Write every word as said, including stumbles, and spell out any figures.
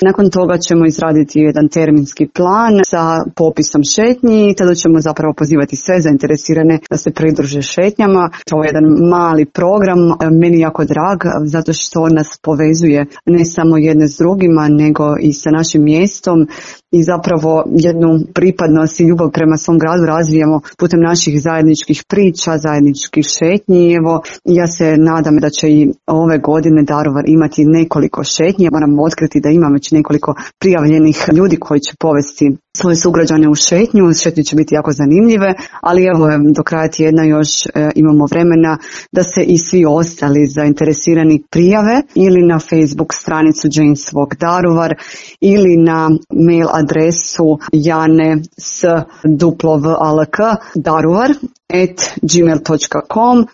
Nakon toga ćemo izraditi jedan terminski plan sa popisom šetnji i tada ćemo zapravo pozivati sve zainteresirane da se pridruže šetnjama. To je jedan mali program, meni jako drag, zato što nas povezuje ne samo jedne s drugima, nego i sa našim mjestom i zapravo jednu pripadnost i ljubav prema svom gradu razvijamo putem naših zajedničkih priča, zajedničkih šetnji. Evo, ja se nadam da će i ove godine Daruvar imati nekoliko šetnji. Moram otkriti da imam već nekoliko prijavljenih ljudi koji će povesti svoje sugrađane u šetnju. Šetnje će biti jako zanimljive, ali evo do kraja tjedna još e, imamo vremena da se i svi ostali zainteresirani prijave ili na Facebook stranicu Jane's Walk Daruvar ili na mail adresu jane s duplov alk daruvar at gmail dot com.